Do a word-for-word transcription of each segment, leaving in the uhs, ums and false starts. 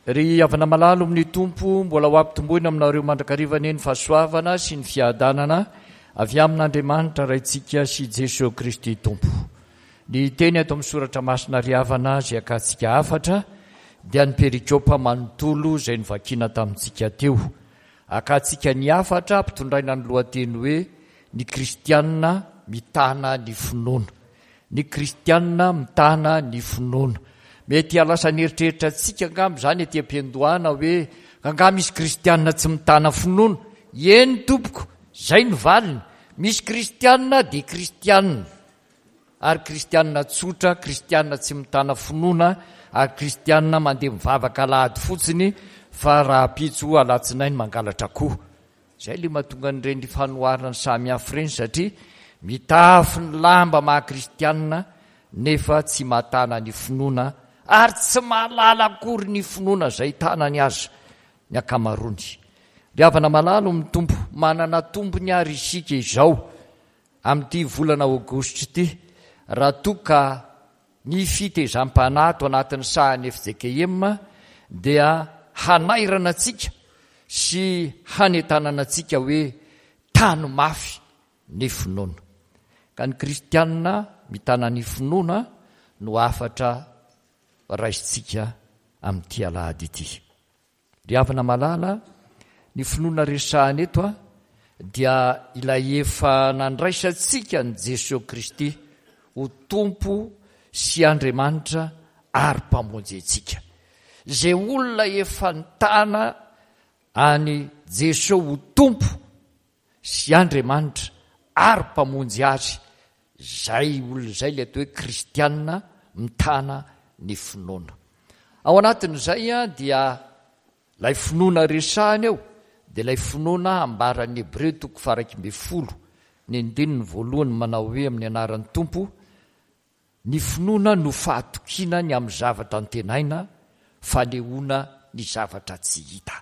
Ry havana malala amin'ny Tompo, mbola ho ampitomboina aminareo mandrakariva anie ny fahasoavana sy ny fiadanana avy amin'Andriamanitra Raintsika sy Jesoa Kristy Tompo. Ny teny ato amin'ny soratra masina ry havana izay akantsika hafatra dia ny perikopa manontolo izay novakiana tamintsika teo. Akantsika ny hafatra ampitondraina ny lohateny hoe ny kristianina mitana ny finoana. Ny kristianina mitana ny finoana. Mety hahalasa ny eritreritra antsika angamba izany ety am-piandohana hoe angaha misy kristianina tsy mitana finoana? Eny tompoko, izay no valiny. Misy kristianina dia kristianina. Ary kristianina tsotra, kristianina tsy mitana finoana, ary kristianina mandeha mivavaka alahady fotsiny fa rahampitso alatsinainy mangalatra akoho. Izay ilay mahatonga an'ireny fanoharana samihafa ireny satria mitafy ny lamba maha kristianina nefa tsy mahatana ny finoana ary tsy mahalala akory ny finoana izay tanany aza ny ankamaroany. Ry havana malala amin'ny Tompo, manana tombony ary isika izao amin'ity volana aogositra ity raha toa ka ny fitezam-panahy ato anatin'ny sahan'ny F J K M dia hanairana antsika sy hanentanana antsika hoe tano mafy ny finoana. Ka ny kristianina mitana ny finoana no hafatra raisintsika amin'ity alahady ity. Ry havana malala, ny finoana resahana eto a dia ilay efa nandraisantsika an'i Jesoa Kristy ho Tompo sy Andriamanitra ary Mpamonjy antsika. Izay olona efa nitana an'i Jesoa ho Tompo sy Andriamanitra ary Mpamonjy azy, izay olona izay ilay atao hoe kristianina mitana ny finoana. Ao anatin'izay dia ilay finoana resahana eo dia ilay finoana ambaran'ny Hebreo toko faha iraika ambin'ny folo ny andininy voalohany manao hoe amin'ny anaran'ny Tompo, ny finoana no fahatokiana ny amin'ny zavatra antenaina, fanehoana ny zavatra tsy hita.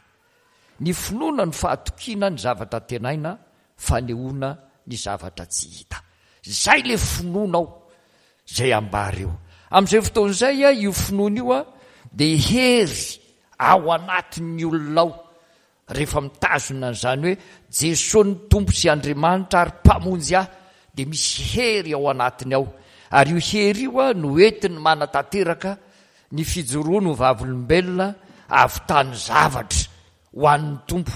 Ny finoana no fahatokiana ny zavatra antenaina, fanehoana ny zavatra tsy hita. Izay ilay finoana ao, izay ambara eo. Amin'izay fotoana izay, io finoana io dia hery ao anatin'ny olona ao, rehefa mitazona an'izany hoe Jesoa ny Tompo sy Andriamanitra ary Mpamonjy ahy, dia misy hery ao anatiny ao. Ary io hery io no entiny manatanteraka ny fijoroany ho vavolombelona ahavitany zavatra ho an'ny Tompo.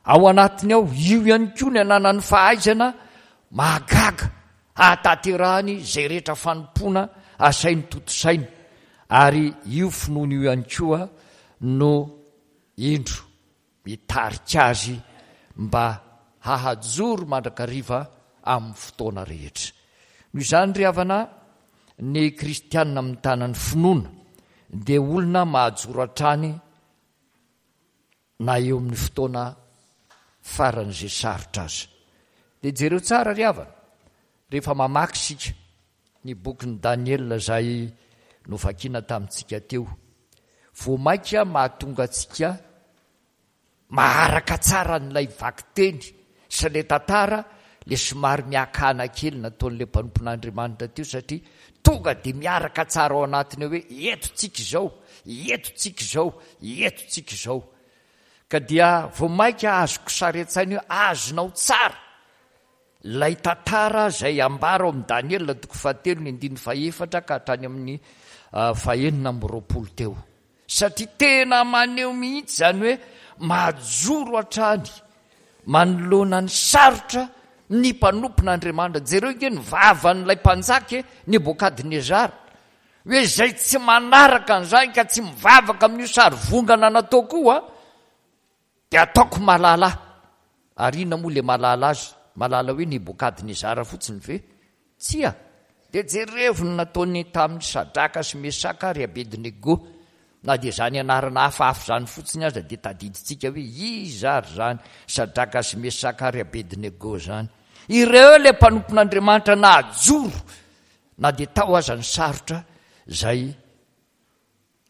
Ao anatiny ao, io ihany koa ny ananany fahaizana mahagaga hahatanterahany izay rehetra fanompoana asainy tontosainy. Ary io finoana io ihany koa no indro mitarika azy mba hahajoro mandrakariva amin'ny fotoana rehetra. Noho izany ry havana, ny kristianina mitana ny finoana dia olona mahajoro hatrany na eo amin'ny fotoana faran'izay sarotra aza. Dia jereo tsara ry havana, rehefa mamaky isika ny bokin'i Daniela izay novakiana tamintsika teo, vao mainka mahatonga antsika maharaka tsara an'ilay vakiteny sy ilay tantara le somary miakana kely nataon'ilay mpanompon'Andriamanitra teo, satria tonga dia miaraka tsara ao anatiny hoe eto tsika izao, eto tsika izao, eto tsika izao. Ka dia vao mainka azoko sary an-tsaina hoe azonao tsara ilay tantara izay ambara ao amin'i Daniela toko fahatelo ny andininy fahefatra ka hatrany amin'ny fahenina amby roapolo teo. Satria tena maneho mihitsy izany hoe mahajoro hatrany manoloana ny sarotra ny mpanompon'Andriamanitra. Jereo ange ny vavan'ilay mpanjaka e, Nebokadnezara, hoe izay tsy manaraka an'izany ka tsy mivavaka amin'io sary vongana natao koa dia ataoko malala. Ary inona moa ilay malala azy? Malala hoe Nebokadnezara fotsiny ve? Tsia. Dia jerevo ny nataony tamin'ny Sadraka sy Mesaka ary Abednego. Na dia izany anarana hafahafa izany fotsiny aza dia tadidintsika hoe iza ary izany Sadraka sy Mesaka ary Abednego izany. Ireo ilay mpanompon'Andriamanitra nahajoro na dia tao aza ny sarotra izay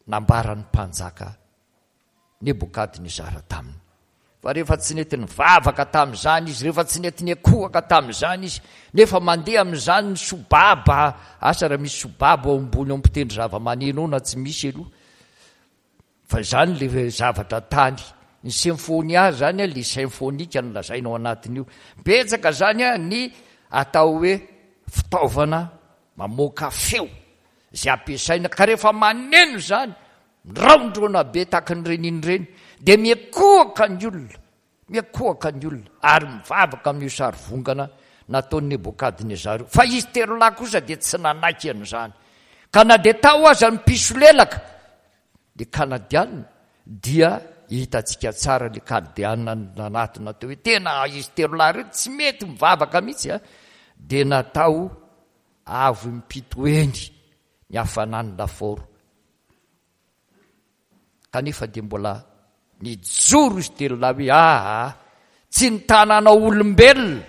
nambaran'ny mpanjaka Nebokadnezara taminy. Fa rehefa tsy nety nivavaka tamin'izany izy, rehefa tsy nety niakohaka tamin'izany izy, nefa mandeha amin'izany ny sobaba, asa raha misy sobaba ao ambony ao mpitendry zava-maneno ao na tsy misy aloha. Fa izany le zavatra tany. Ny symphonia zany le symphonique no lazaina ao anatin'io. Betsaka zany ny atao hoe fitaovana mamoaka feo izay ampiasaina, ka rehefa maneno izany, miraondrona be tahaka ny reniny ireny, dia miakohoka ny olona, miakohoka ny olona, ary mivavaka amin'io sarivongana nataon'i Nebokadnezara io. Fa izy telo lahy kosa dia tsy nanaiky an'izany. Ka na dia tao aza ny mpisolelaka, ny Kanadiana, dia hitantsika tsara ny Kaldeana nanatona teo hoe tena izy telo lahy ireo tsy mety mivavaka mihitsy, a, dia natao avo impito eny ny hafanan'ny lafaoro. Kanefa dia mbola nijoro izy telo lahy hoe aa, tsy ny tananao olombelona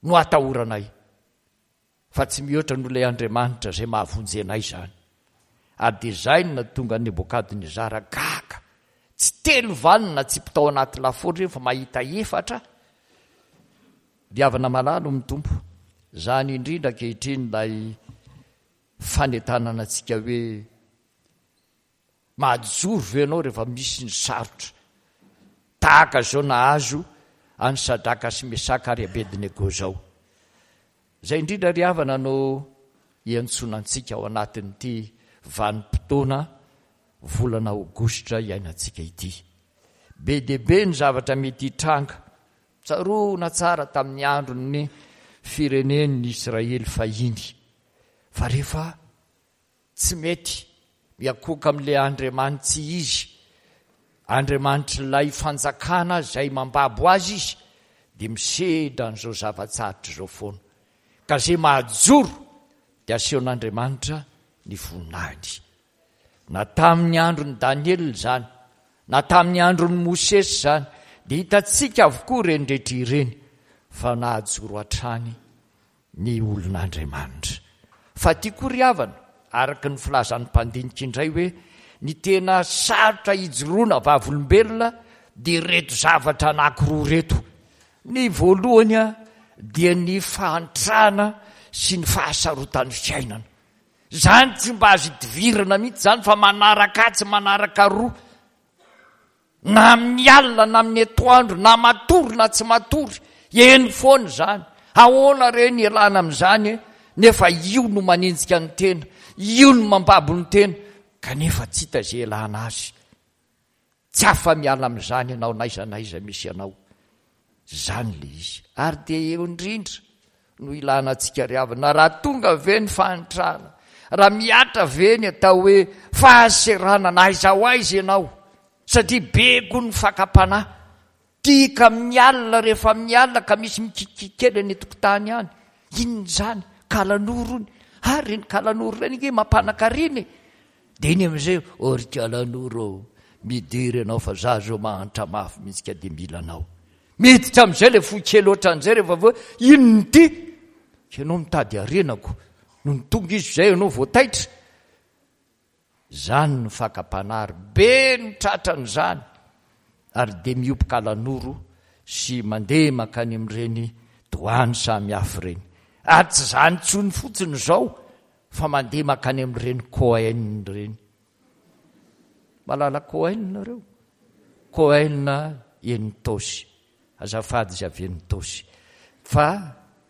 no atahoranay, fa tsy mihoatra noho ilay Andriamanitra izay mahavonjy anay izany. Ary dia izay no nahatonga an'i Nebokadnezara gaga. Tsy telo vanona natsipy tao anaty lafaoro ireny fa mahita efatra. Ry havana malala amin'ny Tompo, izany indrindra ankehitriny ilay fanentanana antsika hoe mahajoro ve ianao rehefa misy ny sarotra tahaka izao nahazo an'i Sadraka sy Mesaka ary Abednego izao. Izay indrindra ry havana no iantsoana antsika ao anatin'ity vanim-potoana volana aogositra iainantsika ity. Be dia be ny zavatra mety hitranga. Tsaroana tsara tamin'ny andron'ny firenen'ny Israely fahiny fa rehefa tsy mety miakohoka amin'ilay Andriamanitsy izy, Andriamanitr'ilay fanjakana izay mambabo azy izy, dia misedra an'izao zava-tsarotra izao foana. Ka izay mahajoro dia asehon'Andriamanitra ny voninahiny. Na tamin'ny andron'i Daniela izany, na tamin'ny andron'i Mosesy izany, dia hitantsika avokoa ireny rehetra ireny fa nahajoro hatrany ny olon'Andriamanitra. Fa ity koa ry havana, araka ny filazan'ny mpandinika indray hoe ny tena sarotra hijoroana vavolombelona dia ireto zavatra anankiroa ireto. Ny voalohany dia ny fahantrana sy ny fahasarotan'ny fiainana. Izany tsy mba azo idivirana mihitsy izany fa manaraka atsy manaraka aroa. Na amin'ny alina na amin'ny atoandro, na matory na tsy matory, eny foana izany. Ahoana re ny ialana amin'izany e? Nefa io no manenjika ny tena, io no mambabo ny tena, kanefa tsy hita izay ialana azy. Tsy afa-miala amin'izany ianao n'aiza n'aiza misy anao. Izany ilay izy. Ary dia eo indrindra no ilana antsika ry havana. Raha tonga ve ny fahantrana, raha mihatra ve ny atao hoe fahaseranana, aiza ho aiza ianao? Satria be koa ny fakam-panahy. Tika amin'ny alina, rehefa amin'ny alina ka misy mikikiky kely any an-tokotany any. Inona izany? Kalanoro ony. Ary ireny kalanoro ireny ange mampanan-karena e. Dia iny amin'izay, ô ry kalanoro ô, midira ianao fa za zao mahantra mafy mihitsy ka dia mila anao. Miditra amin'izay ilay fo kely ohatran'izay rehefa avy eo, inona ity? Ianao mitady harenako. Nony tonga izy izay ianao vao taitra. Izany no fakam-panahy ary be no tratran'izany ary dia miompy kalanoro sy mandeha mankany amin'ireny doany samy hafa ireny. Ary tsy izany intsony fotsiny izao fa mandeha mankany amin'ireny Cohen ireny. Mahalala Cohen nareo? Cohen eny Itaosy. Azafady izy avy eny Itaosy. Fa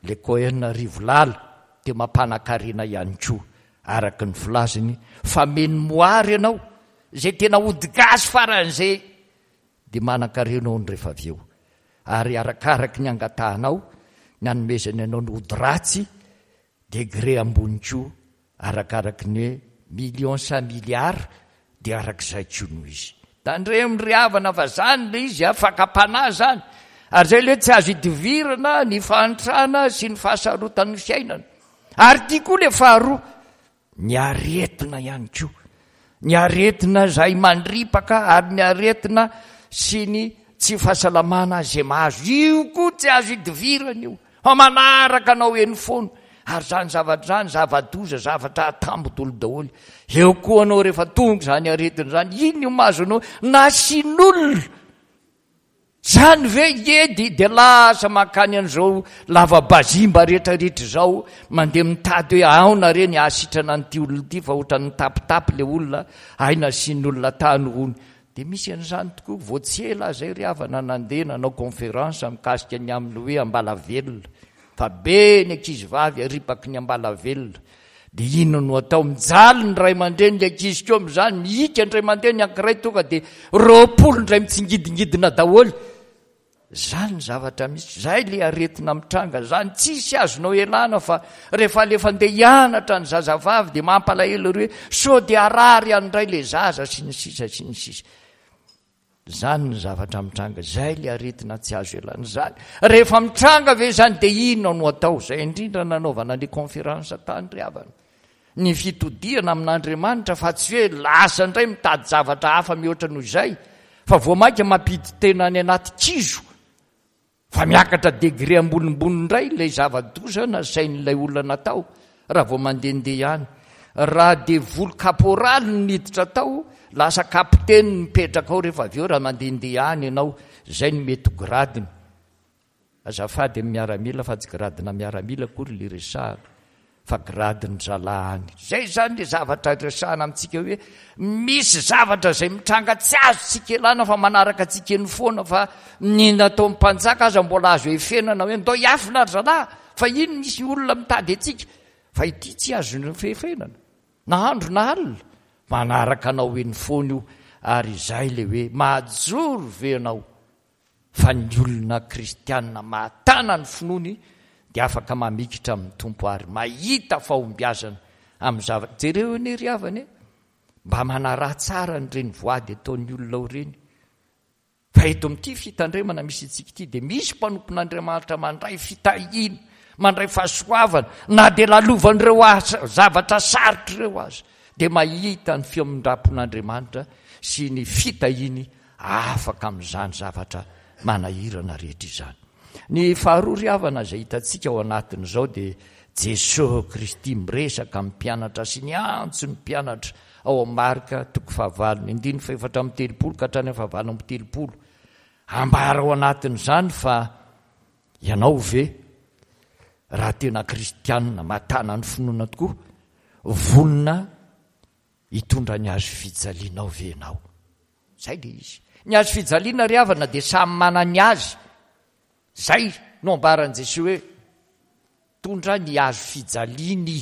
le Cohen Rivolala dia mampanakarena ihany koa araka ny filazany fa menomoara ianao izay tena ody gasy faran'izay dia manan-karena hono rehefa avy eo. Ary arakaraky ny angatahanao ny anomezany anao ny ody ratsy degré ambony koa arakaraky ny hoe million sa milliard dia arak'izay koa no izy. Tandremo ry havana fa zany le izy a, fakam-panahy zany. Ary zay le tsy azo idivirana ny fahantrana sy ny fahasarotan'ny fiainana. Ary ity koa le faharoa, ny aretina ihany koa. Ny aretina izay mandripaka ary ny aretina sy ny tsy fahasalamana izay mahazo. Io koa tsy azo idivirana io. Fa manaraka anao eny foana. Ary izany zavatra izany, zava-doza, zavatra atambo dolo daholo. Eo koa anao rehefa tonga izany aretina izany, inona io mahazo anao? Nasian'olona. Zany ve edy dia lasa mankany an'izao lava-bazimba rehetrarehetra izao, mandeha mitady hoe aona re ny hahasitrana an'ity olona ity fa ohatran'ny mitapitapy ilay olona, hay nasian'ny olona tany hono. Dia misy an'izany tokoa, vao tsy ela izay ry havana nandeha nanao conférence mikasika ny amin'ny hoe ambalavelona, fa be ny ankizivavy aripaky ny ambalavelona. Dia inona no atao? Mijaly ny ray aman-dreny, ny ankizy koa amin'izany, mihika ny ray aman-dreny, anankiray tonga dia roapolo indray mitsingidingidina daholo. Izany ny zavatra misy, izay ilay aretina mitranga izany, tsisy azonao ialana fa rehefa alefa andeha hianatra ny zazavavy dia mampalahelo ery hoe sao dia harary any indray ilay zaza sy ny sisa sy ny sisa. Izany ny zavatra mitranga, izay ilay aretina tsy azo ialana izany. Rehefa mitranga ve izany dia inona no atao? Izay indrindra nanaovana ny conférence tany ry havana. Ny fitodihana amin'Andriamanitra fa tsy hoe lasa indray mitady zavatra hafa mihoatra noho izay, fa vao mainka mampidi-tena any anaty kizo. Fa miakatra degré ambonimbony indray ilay zava-doza nasain'ilay olona natao raha vao mandehandeha ihany. Raha devoly kaporaly no niditra tao, lasa kapiteny no mipetraka ao rehefa avy eo raha mandehandeha any ianao. Izay no mety ho gradiny. Azafady amin'ny miaramila fa tsy gradina miaramila akory ilay resahana fa gradin-dry zalahy any. Izay izany ilay zavatra resahana amintsika hoe misy zavatra izay mitranga tsy azontsika ialana fa manaraka antsika eny foana, fa ny nataon'ny mpanjaka aza mbola azo efenana hoe ndao hiafina ry zalahy fa iny misy olona mitady antsika, fa ity tsy azon'ny fefenana na andro na alina, manaraka anao eny foana io. Ary izay ilay hoe mahajoro ve ianao fa ny olona kristianina mahatana ny finoany dia afaka mamikitra amin'ny Tompo ary mahita fahombiazana amin'ny zavatra. Jereo anie ry havana e, mba manaraha tsara an'ireny voady ataon'ny olona ao ireny. Fa eto amin'ity fitandremana misy antsika ity dia misy mpanompon'Andriamanitra mandray fitahiana, mandray fahasoavana, na dia lalovan'ireo asa, zavatra sarotra ireo aza, dia mahita ny famindram-pon'Andriamanitra sy ny fitahiany afaka amin'izany zavatra manahirana rehetra izany. Ny faharoa ry havana izay hitantsika ao anatin'izao dia Jesosy Kristy miresaka amin'ny mpianatra sy niantso ny mpianatra ao amin'ny Marka toko fahavalo, ny andininy fahefatra amby telopolo ka hatrany amin'ny fahavalo amby telopolo. Ambara ao anatin'izany fa ianao ve raha tena kristianina matana ny finoana tokoa, vonona hitondra ny hazo fijalianao ve ianao? Zay le izy. Ny hazo fijaliana ry havana dia samy manana ny azy. Zay no ambaran'i Jesoa hoe tondra ny hazo fijaliany.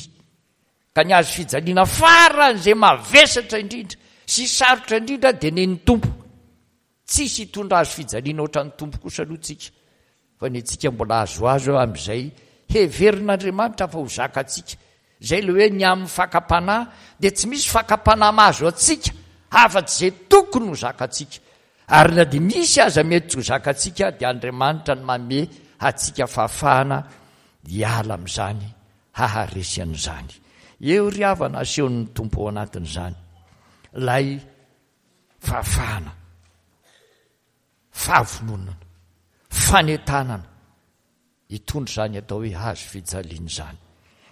Ka ny hazo fijaliana faran'izay mavesatra indrindra sy sarotra indrindra dia nen'ny Tompo. Tsisy hitondra hazo fijaliana ohatran'ny Tompo kosa aloha tsika, fa ny antsika mbola azoazo amin'izay heverin'Andriamanitra fa ho zakantsika. Izay ilay hoe ny amin'ny fakam-panahy dia tsy misy fakam-panahy mahazo antsika afa-tsy izay tokony ho zakantsika. Ary na dia misy aza mety tsy ho zakantsika dia Andriamanitra no manome antsika fahafahana hiala amin'izany, haharesy an'izany. Eo ry havana asehon'ny Tompo ao anatin'izany ilay fahafahana, fahavononana, fanentanana hitondra izany atao hoe hazo fijaliana izany.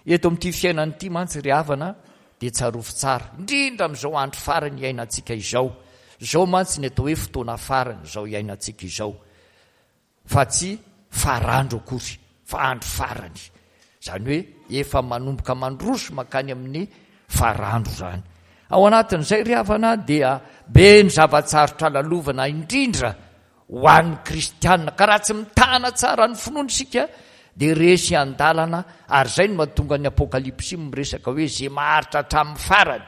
Eto amin'ity fiainana ity mantsy ry havana dia tsarovy tsara, indrindra amin'izao andro farany iainantsika izao. Izao mantsy ny atao hoe fotoana farany izao iainantsika izao, fa tsy farandro akory, fa andro farany. Izany hoe efa manomboka mandroso mankany amin'ny farandro izany. Ao anatin'izay ry havana dia be ny zava-tsarotra lalovana, indrindra ho an'ny kristianina. Ka raha tsy mitana tsara ny finoana isika dia resy an-dalana, ary izay no mahatonga ny Apokalypsy miresaka hoe izay maharitra hatramin'ny farany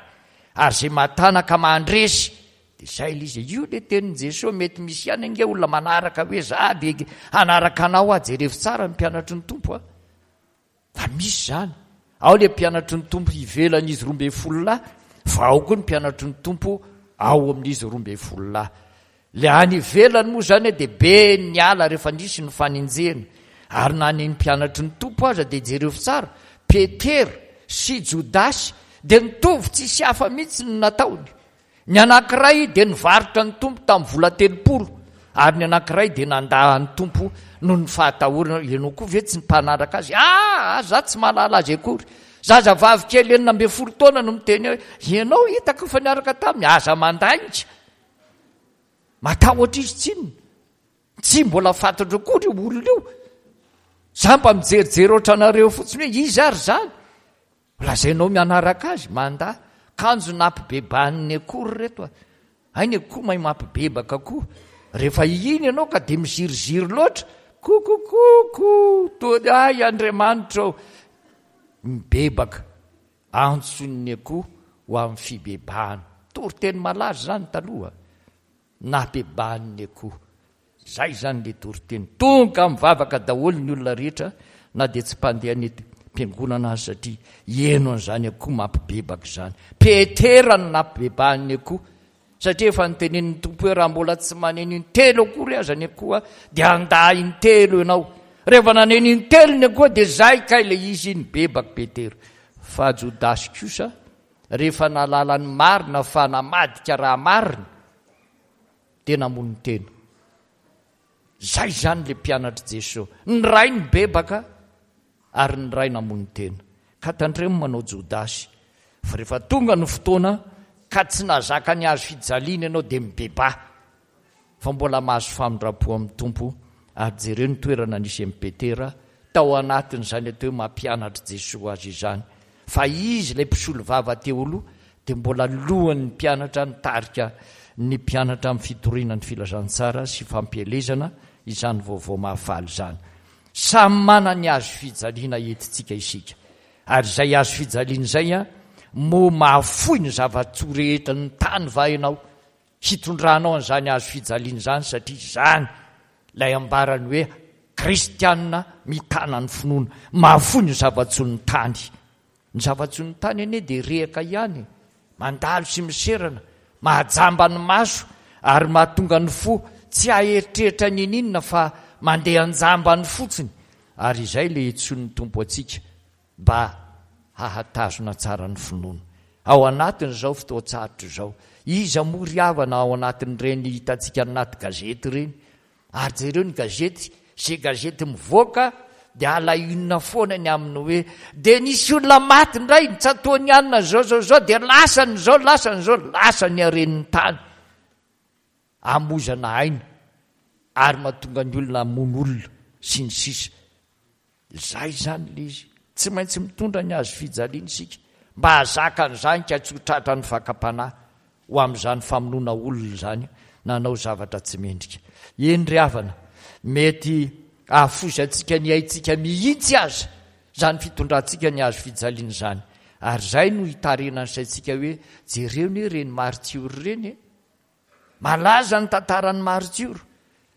ary izay mahatana ka mandresy. Dia izay ilay izy. Io ilay tenin'i Jesoa, mety misy ihany ange olona manaraka hoe za dia hanaraka anao aho. Jerevo tsara ny mpianatry ny Tompo a. Fa misy izany. Ao ilay mpianatry ny Tompo ivelan'izy roa ambin'ny folo lahy, fa ao koa ny mpianatry ny Tompo ao amin'izy roa ambin'ny folo lahy. Ilay any ivelany moa izany dia be ny ala rehefa nisy ny fanenjehana. Ary na ny mpianatry ny Tompo aza dia jereo tsara, Petera sy Jodasy dia nitovy tsisy hafa mihitsy ny nataony. Ny anankiray dia nivarotra ny Tompo tamin'ny vola telopolo, ary ny anankiray dia nandà ny Tompo noho ny fahatahorana. Ianao koa ve tsy ny mpanaraka azy? Ah, za tsy mahalala azy akory. Zazavavy kely enina ambin'ny folo taona no miteny hoe, ianao hitako fa niaraka taminy, aza mandainga. Matahotra izy tsinona. Tsy mbola fantatro akory io olona io. Za mba mijerijery ohatranareo fotsiny hoe iza ary izany? Lazainao mianaraka azy, mandà. Kanjo nampibebahan'ny akoho ry reto a. Hay ny akoho mahay mampibebaka koa. Rehefa iny ianao ka dia miziriziry loatra, kokokoko, toa ahy Andriamanitra ô. Mibebaka, antson'ny akoho ho amin'ny fibebahana. Toriteny malaza izany taloha. Nabebahan'ny akoho. Zay izany le toriteny. Tonga mivavaka daholo ny olona rehetra na dia tsy mpandeha any am-piangonana aza satria heno an'izany akoho mampibebaka izany. Petera no nampibebahan'ny akoho satria efa notenenin'ny Tompo hoe raha mbola tsy maneno intelo akory aza ny akoho dia handà intelo ianao. Rehefa naneno intelo ny akoho dia zay kay le izy nibebaka Petera. Fa Jodasy kosa rehefa nahalala ny marina fa namadika raha marina dia namono tena. Zay izany le mpianatr'i Jesoa. Ny ray nibebaka ary ny ray namono tena. Ka tandremo manao Jodasy fa rehefa tonga ny fotoana ka tsy nahazaka ny hazo fijaliana ianao dia mibebaha fa mbola mahazo famindram-po amin'ny Tompo. Ary jereo ny toerana nisy an'i Petera tao anatin'izany atao hoe mampianatr'i Jesoa azy izany. Fa izy ilay mpisolo vava teo aloha dia mbola lohan'ny mpianatra nitarika ny mpianatra amin'ny fitoriana ny filazantsara sy fampielezana izany vaovao mahafaly izany. Samy manana ny hazo fijaliana entintsika isika. Ary izay hazo fijaliana izay an, moa mahafoy ny zava-tsoa rehetra ny tany va ianao hitondranao an'izany hazo fijaliana izany, satria izany ilay ambarany hoe kristianina mitana ny finoana, mahafoy ny zava-tsoa ny tany. Ny zava-tsoa ny tany anie dia rehaka ihany, mandalo sy miserana, mahajamba ny maso ary mahatonga ny fo tsy haeritreritra n'inon'inona fa mandeha an-jambany fotsiny. Ary izay ilay iantsoan'ny Tompo antsika mba hahatazona tsara ny finoana. Ao anatin'izao fotoan-tsarotra izao, iza moa ry havana ao anatin'ireny hitantsika anaty gazety ireny? Ary jereo ny gazety, izay gazety mivoaka dia à la une foana ny amin'ny hoe dia nisy olona maty indray, nitsatohan'ny alina izao izao izao, dia lasany izao, lasany izao, lasa ny haren'ny tany. Amoizana aina ary mahatonga ny olona hamono olona sy ny sisa. Izay izany ilay izy. Tsy maintsy mitondra ny hazo fijaliana isika mba hahazaka an'izany ka tsy ho tratran'ny fakam-panahy ho amin'izany famonoana olona izany nanao zavatra tsy mendrika. Eny ry havana, mety hahafoizantsika ny aintsika mihitsy aza izany fitondrantsika ny hazo fijaliana izany. Ary izay no hitarihana ny saintsika hoe jereo anie ireny maritiora ireny e! Malaza ny tantaran'ny maritiora.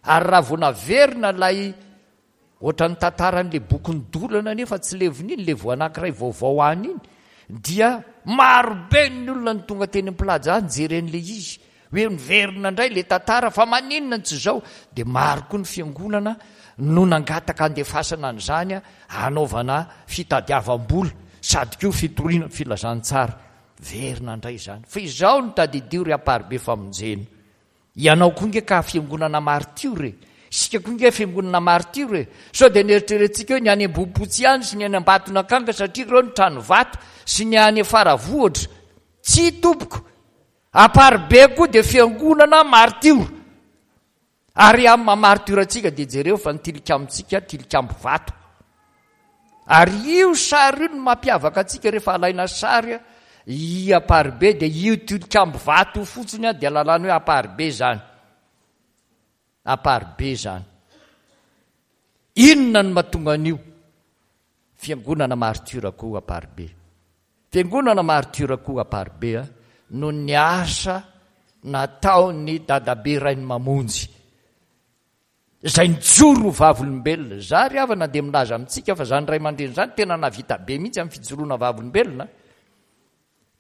Ary raha vao naverina ilay ohatran'ny tantaran'ilay bokin'ny dolana nefa tsy levona iny, ilay vao anankiray vaovao any iny, dia marobe ny olona no tonga teny am-plaza nijery an'ilay izy. Hoe miverina indray ilay tantara fa maninona no tsy izao? Dia maro koa ny fiangonana no nangataka handefasana an'izany hanaovana fitadiavam-bola sady koa fitoriana ny filazantsara. Verina indray izany. Fa izao no tadidio ry Amparibe Famonjena. Ianao koa nge ka fiangonana martiora e. Isika koa nge fiangonana martiora e. Sao dia neritreretintsika hoe ny any Ambohipotsy ihany sy ny any Ambatonakanga satria ireo ny trano vato sy ny any Faravohitra. Tsia tompoko. Amparibe koa dia fiangonana martiora. Ary amin'ny maha martiora antsika dia jereo fa ny tilikambontsika tilikambo vato. Ary io sary io no mampiavaka antsika rehefa alaina sary i Amparibe dia io tilikambo vato io fotsiny dia lalàna hoe Amparibe izany. Amparibe izany. Inona no mahatonga an'io? Fiangonana martiora koa Amparibe. Fiangonana martiora koa Amparibe noho ny asa nataon'ny dadabe Rainimamonjy izay nijoro ho vavolombelona. Za ry havana dia milaza amintsika fa izany ray aman-dreny izany tena nahavita be mihitsy amin'ny fijoroana vavolombelona.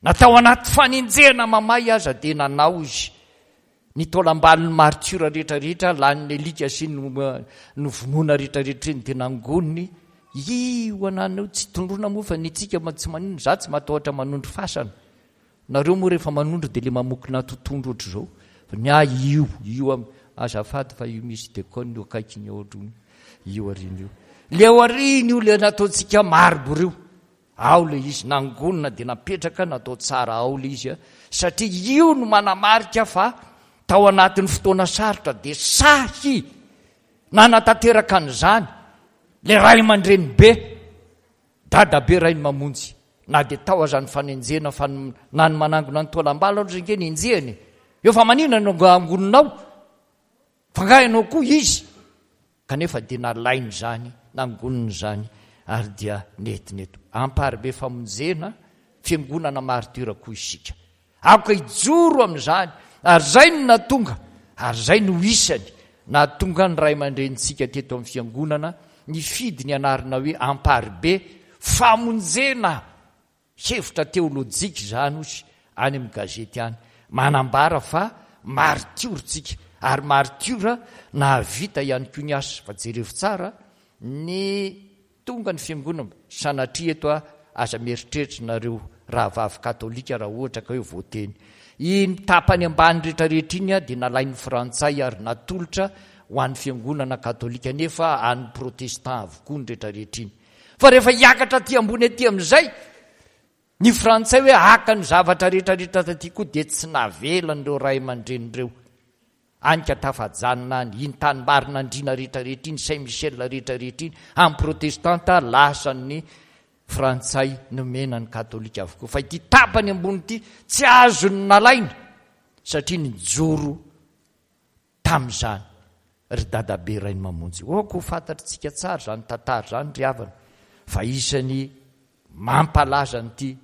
Na tao anaty fanenjehana mamay aza dia nanao izy. Ny taolam-balon'ny martiora rehetrarehetra, lanin'ny alika sy ny novonoina rehetrarehetra iny dia nangoniny. Io anana io tsy tondroina moa fa ny antsika tsy maninona, za tsy matahotra manondro fasana. Nareo moa rehefa manondro dia le mamokona totohondro ohatr'izao. Fa ny ahy io, io am-, azafady fa io misy déconne io akaikiny eo ohatr'io, io aoriana io. Le aoriana io le nataontsika marbre io. Ao le izy, nangonina dia napetraka, natao tsara ao le izy, satria io no manamarika fa tao anatin'ny fotoana sarotra dia sahy Nanatanteraka an'izany ilay ray aman-dreny be, dadabe Rainimamonjy, na dia tao aza ny fanenjehana fa na ny manangona ny taolam-balo aza ange nenjehana e. Eo fa maninona no angoninao? Fa nga ianao koa izy? Kanefa dia nalainy izany, nangoniny izany ary dia nentiny eto. Amparibe famonjena, fiangonana martiora koa isika. Aoka hijoro amin'izany, ary izay no nahatonga, ary izay no isany nahatonga ny ray aman-drenintsika teto amin'ny fiangonana nifidy ny anarana hoe Amparibe famonjena. Hevitra teolojika izany hozy any amin'ny gazety any, manambara fa martiora tsika, ary martiora nahavita ihany koa ny asa. Fa jerevo tsara ny tonga ny fiangonana, sanatria eto aho, aza mieritreritra nareo rahavavy katolika raha ohatra ka hoe voateny. Iny tapany ambany rehetrarehetra iny dia nalain'ny frantsay ary natolotra ho an'ny fiangonana katolika, nefa an'ny protestant avokoa ny rehetrarehetra iny. Fa rehefa hiakatra aty ambony aty amin'izay ny frantsay hoe haka ny zavatra rehetrarehetra taty koa, dia tsy navelan'ireo ray aman-dreny ireo. Any ka tafajanona any, iny tanimbarin'Andriana rehetrarehetra iny, Saint Michel rehetrarehetra iny, amin'ny protestanta lasan'ny frantsay nomena ny katolika avokoa. Fa ity tapany ambony ity tsy azony nalaina satria nijoro tamin'izany ry dadabe Rainimamonjy. Aoka ho fantatritsika tsara izany tantara izany ry havana, fa isany mampalaza an'ity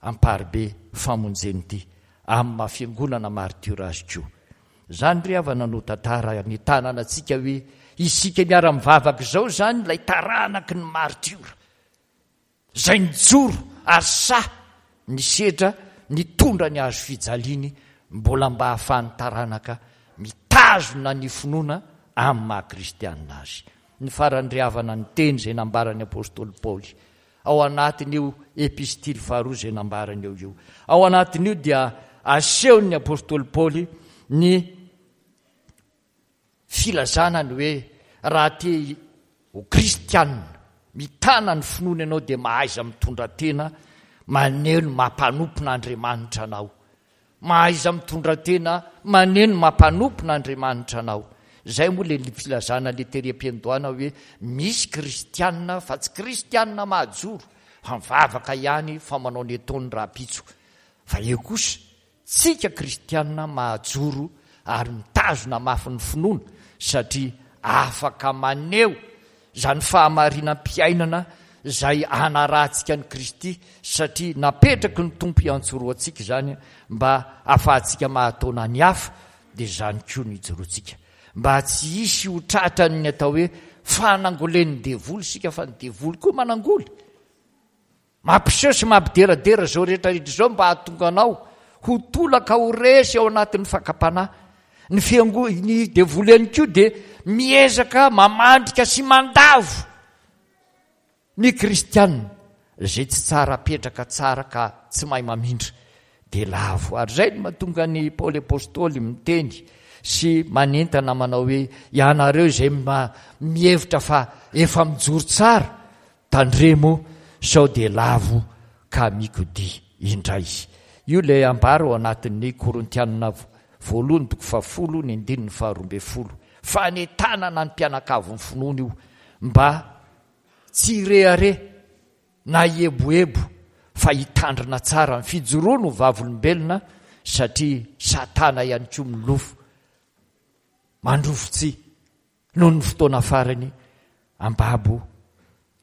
Amparibe famonjena ity amin'ny maha fiangonana martiora azy koa. Izany ry havana no tantara nitanana antsika hoe isika miara-mivavaka izao izany ilay taranaky ny martiora izay nijoro ary sahy nisedra nitondra ny hazo fijaliany mbola mba hahafahan'ny taranaka mitazona ny finoana amin'ny maha kristianina azy. Ny farany ry havana ny teny izay nambaran'ny apostoly Paoly ao anatin'io epistily faharoa izay nambarany eo io. Ao anatin'io dia asehon'ny apostoly Paoly ny filazana ny hoe raha te ho kristianina mitana ny finoana ianao dia mahaiza mitondra tena maneho ny mampanompon'Andriamanitra anao. Mahaiza mitondra tena maneho ny mampanompon'Andriamanitra anao. Izay moa ilay filazana ilay tery am-piandohana hoe misy kristianina fa tsy kristianina mahajoro fa mivavaka ihany fa manao ny ataony rahampitso. Fa eo kosa tsika kristianina mahajoro ary mitazona mafy ny finoana satria afaka maneho izany fahamarinam-piainana izay hanarahantsika an'i Kristy satria napetraky ny Tompo hiantsorohantsika izany mba hahafahantsika mahataona ny hafa, dia izany koa no ijoroantsika. Mba tsy hisy ho tratran'ny atao hoe fanangolen'ny devoly isika, fa ny devoly koa manangoly. Mampiseho sy mampideradera izao rehetra rehetra izao mba hahatonga anao ho tolaka ho resy ao anatin'ny fakam-panahy. Ny fiango-, ny devoly ihany koa dia miezaka mamandrika sy mandavo ny kristianina izay tsy tsara apetraka tsara ka tsy mahay mamindra dia lavo. Ary izay no mahatonga ny Paoly Apostoly miteny sy manentana manao hoe ianareo izay mihevitra fa efa mijoro tsara, tandremo sao dia lavo ka mikodia indray. Io ilay ambara ao anatin'ny Korintianina voalohany toko fahafolo ny andininy faharoa ambin'ny folo. Fanentanana ny mpianakavin'ny finoana io mba tsy hirehareha na hieboebo fa hitandrina tsara ny fijoroany ho vavolombelona satria Satana ihany koa milofo mandrofotsy noho ny fotoana farany ambabo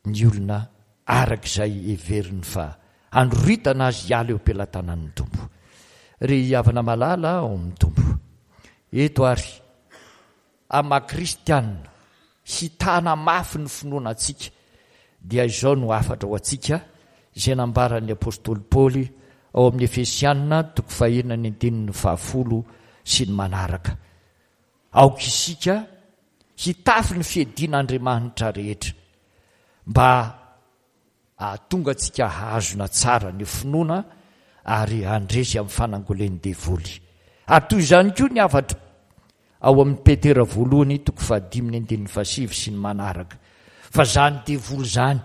ny olona araka izay heveriny fa handroritana azy hiala eo am-pelatanan'ny Tompo. Ry havana malala ao amin'ny Tompo, eto ary amin'ny maha kristianina hitana mafy ny finoana antsika dia izao no hafatra ho antsika izay nambaran'ny apostoly Paoly ao amin'ny Efesiana toko fahenina ny andininy fahafolo sy ny manaraka. Aoka isika hitafy ny fiadian'Andriamanitra rehetra mba hahatonga antsika hahazona tsara ny finoana ary handresy amin'ny fanangolen'ny devoly. Ary toy izany koa ny hafatra ao amin'ny Petera voalohany toko fahadimy ny andininy fahasivy sy ny manaraka. Fa izany devoly izany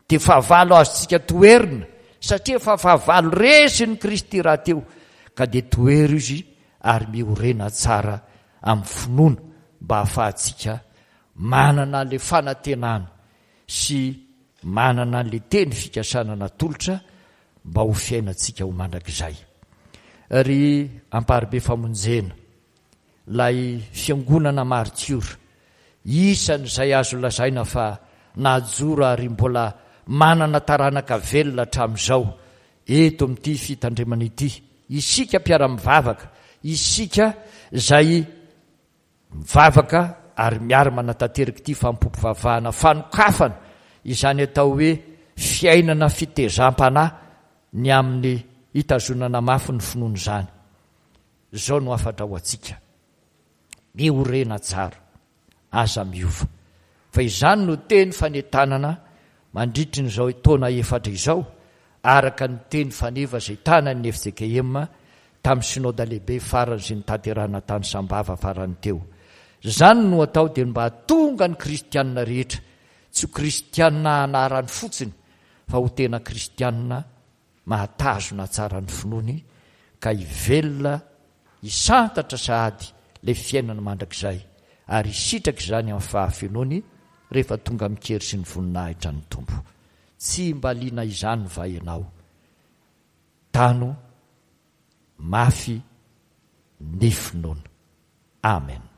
dia fahavalo azontsika toherina satria efa fahavalo resin'i Kristy rahateo, ka dia tohero izy ary miorena tsara amin'ny finoana mba hahafahantsika manana le fanantenana sy manana le teny fikasana natolotra mba ho fiainantsika ho mandrakizay. Ry Amparibe Famonjena, ilay fiangonana martiora, isan'izay azo lazaina fa najoro ary mbola manana taranaka velona hatramin'izao eto amin'ity fitandremana ity, isika mpiara-mivavaka, isika izay mivavaka ary miara-manatanteraka ity fanompoam-pivavahana fanokafana izany atao hoe fiainana fitezam-panahy ny amin'ny hitazonana mafy ny finoana izany. Izao no hafatra ho antsika: miorena tsara, aza miova. Fa izany no teny fanentanana mandritry ny izao taona efatra izao, araka ny teny faneva izay tanan'ny F J K M tamin'ny synoda lehibe farany izay notanterahina tany Sambava farany teo. Izany no atao dia mba hahatonga ny kristianina rehetra tsy ho kristianina anarany fotsiny, fa ho tena kristianina mahatazona tsara ny finoany ka hivelona hisantatra sahady ilay fiainana mandrakizay ary hisitraka izany amin'ny fahafenoany rehefa tonga amin-kery sy ny voninahitra ny Tompo. Tsy mba liana izany va ianao? Tano mafy ny finoana. Amen.